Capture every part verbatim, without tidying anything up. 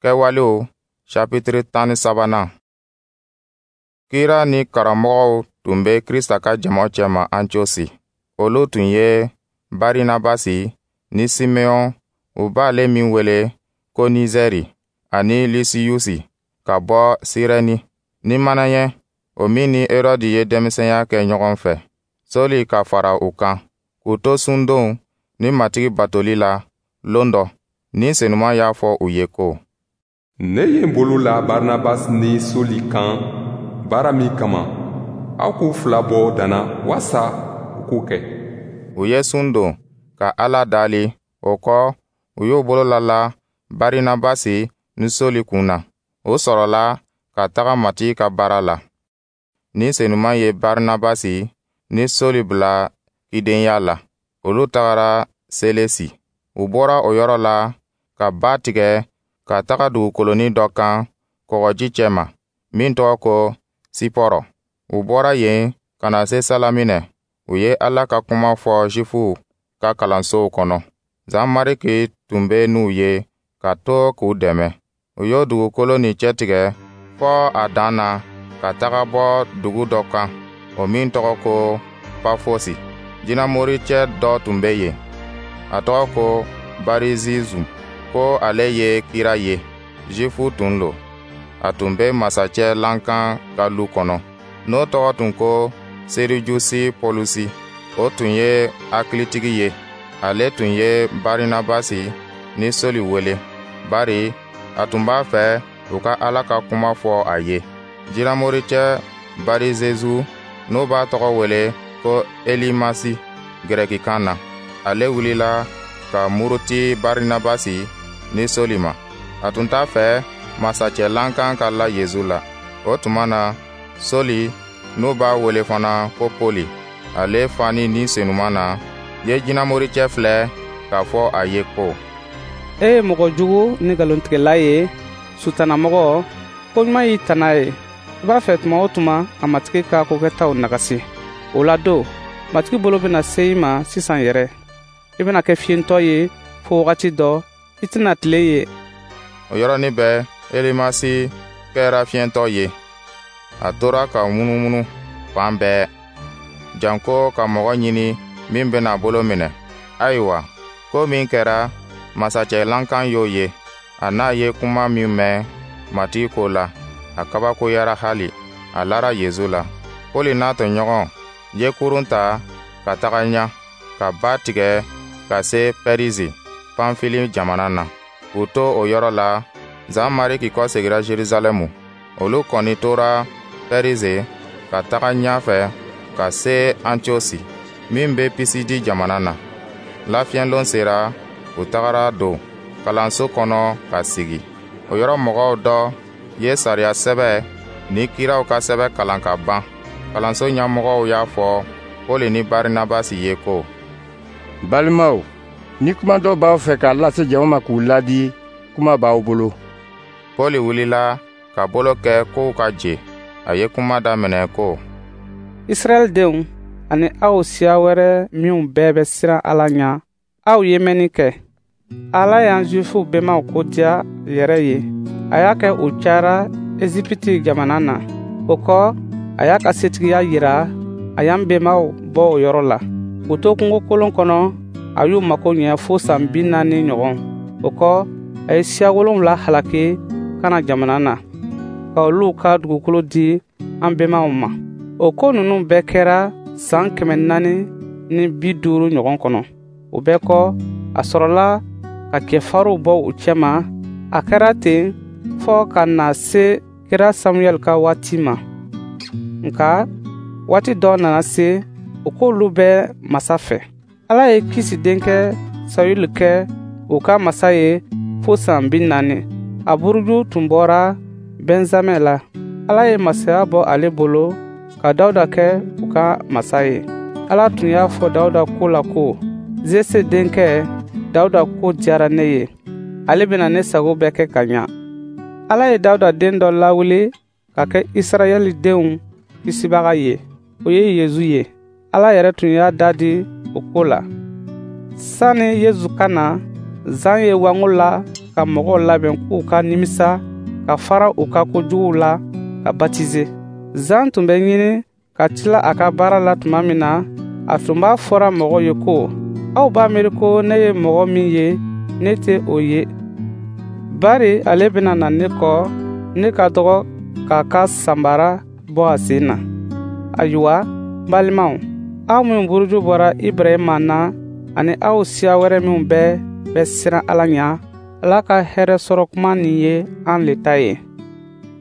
Kɛwalew sapitiri tan ni sabanan. Kira ni karamɔgɔw tun bɛ Krista ka jama cɛma Antiosi. Olu tun ye Barinabasi ni Simeɔn, u b'ale min wele ko Nizɛri, ani Lisiyusi ka bɔ Sirɛni, ni Manayɛn, o min ni Erɔdi ye denmisɛnya kɛ ɲɔgɔn fɛ, Sɔli ka fara u kan. K'u to sundon ni Matigi batoli la lon dɔ, Ni Senuma y'a fɔ u ye ko: Ne ye n bolo la Barnabas ni Soli kan baara min kama, aw k'u fila bɔ danna walasa u k'o kɛ. U ye sun don ka Ala dali. O kɔ, u y'u bolo lala Barinabasi ni Soli kun na. O sɔrɔla ka taga Matigi ka baara la. Ni Senuma ye Barinabasi ni Soli bila cidenya la. Olu tagara Selesi. U bɔra o yɔrɔ la ka ba tigɛ ka taga dugukolonin dɔ kan kɔgɔji cɛma, min tɔgɔ ko Sipɔrɔ. U bɔra yen ka na se Salaminɛ. U ye Ala ka kuma fɔ Zifuw ka kalansow kɔnɔ. Zan Mariki tun bɛ n'u ye ka to k'u dɛmɛ. U y'o dugukolo nin cɛtigɛ fɔ a dan na ka taga bɔ dugu dɔ kan, o min tɔgɔ ko Pafosi. Jinɛmoricɛ dɔ tun bɛ yen, a tɔgɔ ko Barizizu, ko ale ye kira ye, Zifu tun lo. A tun bɛ masacɛ lankan ka lu kɔnɔ, n'o tɔgɔ tun ko Serijusi Pɔlusi. O tun ye hakilitigi ye. Ale tun ye Barinabasi ni Soli wele, bari a tun b'a fɛ u ka Ala ka kuma fɔ a ye. Jinɛmoricɛ Barizezu, n'o b'a tɔgɔ wele ko Elimasi gɛrɛkikan na, ale wulila ka muruti Barinabasi ni Soli ma. A tun t'a fɛ masacɛ lankan ka la Yezu la. O tuma na, Soli, n'u b'a wele fana ko Poli, ale fani Ni Senuma na, ye jinɛmoricɛ filɛ k'a fɔ a ye ko: E ye mɔgɔ jugu ni nkalontigɛla ye, sutanamɔgɔ, ko ɲuman y'i tana ye. I b'a fɛ tuma o tuma ka Matigi ka kokɛtaw nagasi. O la don, Matigi bolo bɛna se i ma sisan yɛrɛ. I bɛna kɛ fiyentɔ ye fo wagati dɔ, i tɛna tile ye. O yɔrɔnin bɛɛ, Elimasi kɛra fiyentɔ ye. A tora ka munumunu fan bɛɛ, janko ka mɔgɔ ɲini min bɛna bolo minɛ. Ayiwa, ko min kɛra, masacɛ lankan y'o ye. A n'a ye kuma min mɛn Matigi ko la, a kabakoyara hali, a lara Yezu la. Poli n'a tɔɲɔgɔn ye kurun ta ka taga ɲa, ka ba tigɛ ka se Pɛrizi, Panfili jamana na. K'u to o yɔrɔ la, Zan Mariki kɔsegira Jerusalɛmu. Olu kɔni tora Pɛrize ka taga ɲɛfɛ ka se Antiosi, min bɛ Pisidi jamana na. Lafiɲɛlon sera, u tagara don kalanso kɔnɔ ka sigi. O yɔrɔ mɔgɔw dɔ ye sariya sɛbɛ ni kiraw ka sɛbɛ kalan ka ban. Kalanso ɲɛmɔgɔw y'a fɔ Poli ni Barinabasi ye ko: Balimaw, ni kuma dɔ b'aw fɛ k'a lase jama ma k'u ladi, kuma b'aw bolo. Pɔli wulila ka bolo kɛ kow ka je. A ye kuma daminɛ ko: Israɛl denw ani aw siya wɛrɛ minw bɛɛ bɛ siran Ala ɲɛ, aw ye mɛnni kɛ. Ala y'an Zuwifuw bɛnbaw ko diya yɛrɛ ye. A y'a kɛ u cayara Ezipiti jamana na. O kɔ, a y'a ka setigiya yira, a y'an bɛnbaw bɔ o yɔrɔ la. K'u to kungokolon kɔnɔ, a y'u mago ɲɛ fo san bi naani ɲɔgɔn. O kɔ, a ye siya wolonwula halaki Kana jamana na, ka olu ka dugukolo di an bɛnbaw ma. O ko ninnu bɛɛ kɛra san kɛmɛ naani ni bi duuru ɲɔgɔn kɔnɔ. O bɛɛ kɔ, a sɔrɔla ka cɛfarinw bɔ u cɛma. A kɛra ten fɔɔ ka na se kira Samuyɛli ka waati ma. Nka waati dɔ nana se, o k'olu bɛ masa fɛ. Ala ye Kisi denkɛ Sayulu kɛ u ka masa ye fo san bi naani. A buruju tun bɔra Bɛnzamɛn la. Ala ye masaya bɔ ale bolo ka Dawuda kɛ u ka masa ye. Ala tun y'a fɔ Dawuda ko la ko: Zese denkɛ Dawuda ko diyara ne ye. Ale bɛna ne sago bɛɛ kɛ ka ɲa. Ala ye Dawuda den dɔ lawuli ka kɛ Israɛli denw kisibaga ye. O ye Yezu ye. Ala yɛrɛ tun y'a da di o ko la. Sani Yezu ka na, Zan ye wango la ka mɔgɔw labɛn k'u ka nimisa ka fara u ka kojuguw la ka batize. Zan tun bɛ ɲini ka tila a ka baara la tuma min na, a tun b'a fɔra mɔgɔw ye ko: Aw b'a miiri ko ne ye mɔgɔ min ye, ne tɛ o ye. Bari ale bɛna na ne kɔ, ne ka dɔgɔ k'a ka sanbara bɔ a sen na. Ayiwa, n balimaw, aw minw buruju bɔra Ibrahima na ani aw siya wɛrɛ minw bɛɛ bɛ siran Ala ɲɛ, Ala ka hɛrɛ sɔrɔ kuma nin ye an le ta ye.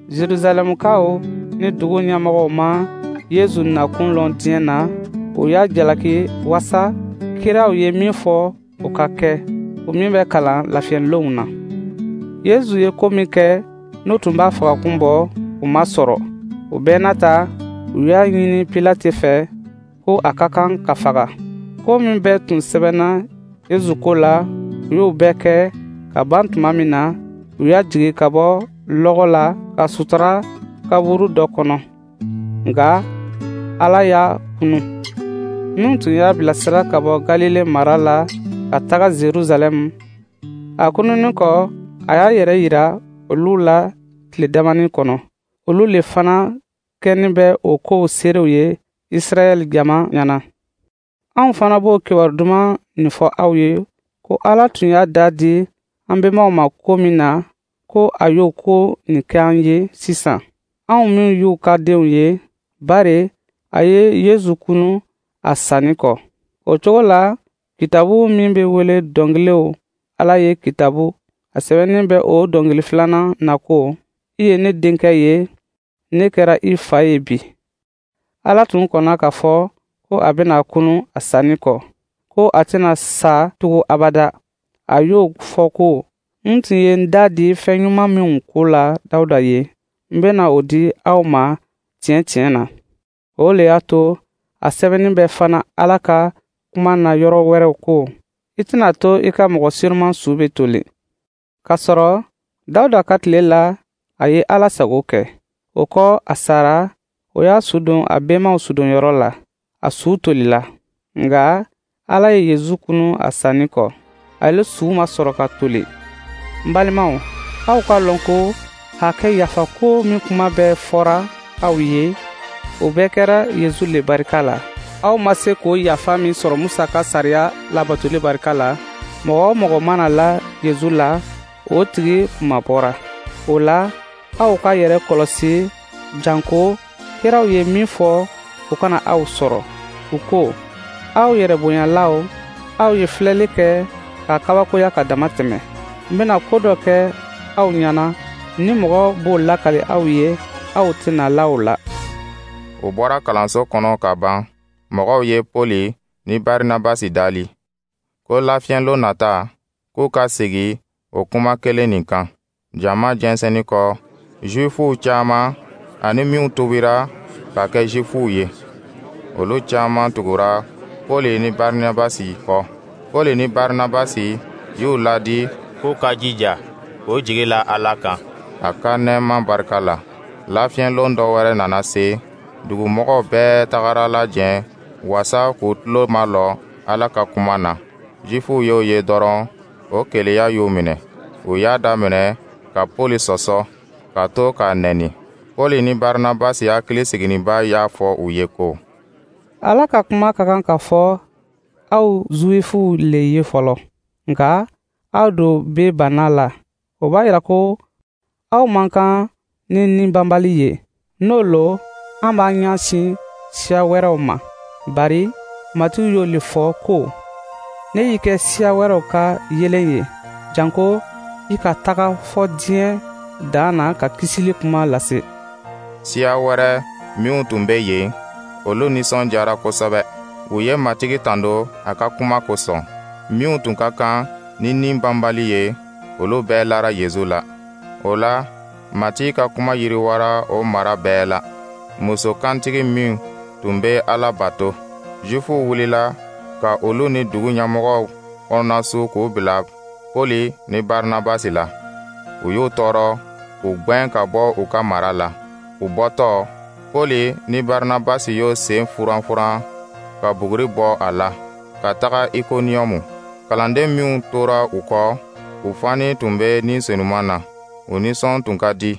Jerusalɛmukaw ni dugu ɲɛmɔgɔw ma Yezu nakun lɔn diɲɛ na, u y'a jalaki wasa kiraw ye min fɔ o ka kɛ, o min bɛ kalan lafiyɛnlonw na. Yezu ye ko min kɛ n'o tun b'a fagakun bɔ, o ma sɔrɔ. O bɛɛ n'a ta, u y'a ɲini Pilate fɛ ko a ka kan ka faga. Ko min bɛɛ tun sɛbɛnna Yezu ko la, u y'o bɛɛ kɛ ka ban tuma min na, u y'a jigi ka bɔ lɔgɔ la ka sutura kaburu dɔ kɔnɔ. Nka Ala y'a kunu. Minnu tun y'a bilasira ka bɔ Galile mara la ka taga Jerusalɛm, a kununin kɔ, a y'a yɛrɛ yira olu la tile damanin kɔnɔ. Olu le fana kɛnin bɛ o kow seerew ye Israɛl jama ɲɛna. Anw fana b'o kibaru duman nin fɔ aw ye ko Ala tun y'a da di an bɛnbaw ma ko min na, ko a y'o ko nin kɛ an ye sisan, anw minw y'u ka denw ye, bari a ye Yezu kunu a sanni kɔ. O cogo la, kitabu min bɛ wele dɔnkiliw, Ala ye kitabu, a sɛbɛnnin bɛ o dɔnkili filanan na ko: I ye ne denkɛ ye, ne kɛra i fa ye bi. Ala tun kɔnna k'a fɔ ko a bɛna kunu a sanni kɔ, ko a tɛna sa tugun abada. A y'o fɔ ko: N tun ye n da di fɛn ɲuman minw ko la Dawuda ye, n bɛna o di aw ma tiɲɛ tiɲɛ na. O le y'a to a sɛbɛnnin bɛ fana Ala ka kuma na yɔrɔ wɛrɛw ko: I tɛna to i ka mɔgɔ senuman su bɛ toli. K'a sɔrɔ Dawuda ka tile la, a ye Ala sago kɛ. O kɔ, a sara, o y'a su don a bɛnbaw sudonyɔrɔ la, a su tolila. Nka Ala ye Yezu kunu a sanni kɔ, ale su ma sɔrɔ ka toli. N balimaw, aw k'a lɔn ko hakɛ yafa ko min kuma bɛɛ fɔra aw ye, o bɛɛ kɛra Yezu le barika la. Aw ma se k'o yafa min sɔrɔ Musa ka sariya labatoli barika la, mɔgɔ o mɔgɔ mana la Yezu la, o tigi kunmabɔra. O la, aw ka yɛrɛ kɔlɔsi janko kiraw ye min fɔ, o kana aw sɔrɔ. U ko: Aw yɛrɛ bonyalaw, aw ye filɛli kɛ ka kabakoya ka dama tɛmɛ. N bɛna ko dɔ kɛ aw ɲɛna, ni mɔgɔ b'o lakali aw ye, aw tɛna la o la. U bɔra kalanso kɔnɔ ka ban, mɔgɔw ye Poli ni Barinabasi dali ko lafiyɛnlon nata, k'u ka segin o kuma kelen nin kan. Jama jɛnsɛnni kɔ, Zuwifuw caman ani minw tubira ka kɛ Zuwifuw ye, olu caman tugura Poli ni Barinabasi kɔ. Poli ni Barinabasi y'u ladi k'u ka jija k'u jigi la Ala kan a ka nɛɛma barika la. Lafiyɛnlon dɔ wɛrɛ nana se, dugumɔgɔw bɛɛ tagara lajɛ wasa k'u tulo malɔ Ala ka kuma na. Zuwifuw y'o ye dɔrɔn, o keleya y'u minɛ. U y'a daminɛ ka Poli sɔsɔ ka to k'a nɛni. Poli ni Barinabasi hakili siginniba y'a fɔ u ye ko: Ala ka kuma ka kan ka fɔ aw Zuwifuw le ye fɔlɔ, nka aw do bɛ bana la. O b'a yira ko aw man kan ni ni banbali ye. N'o lo, an b'an ɲɛsin siya wɛrɛw ma. Bari Matigi y'o le fɔ ko: Ne y'i kɛ siya wɛrɛw ka yeelen ye, janko i ka taga fɔ diɲɛ dan na ka kisili kuma lase. Siya wɛrɛ minw tun bɛ yen, olu nisɔndiyara kosɛbɛ. U ye Matigi tando a ka kuma kosɔn. Minw tun ka kan ni ni banbali ye, olu bɛɛ lara Yezu la. O la, Matigi ka kuma yiriwara o mara bɛɛ la. Muso kantigi min tun bɛ Ala bato, Zuwifuw wulila ka olu ni dugu ɲɛmɔgɔw kɔnɔnasu k'u bila Poli ni Barinabasi la. U y'u tɔɔrɔ k'u gwɛn ka bɔ u ka mara la. U bɔtɔ, Poli ni Barinabasi y'o sen furanfuran ka buguri bɔ a la ka taga Ikoniyɔmu. Kalanden minw tora u kɔ, U fani tun bɛ Ni Senuma na, u nisɔn tun ka di.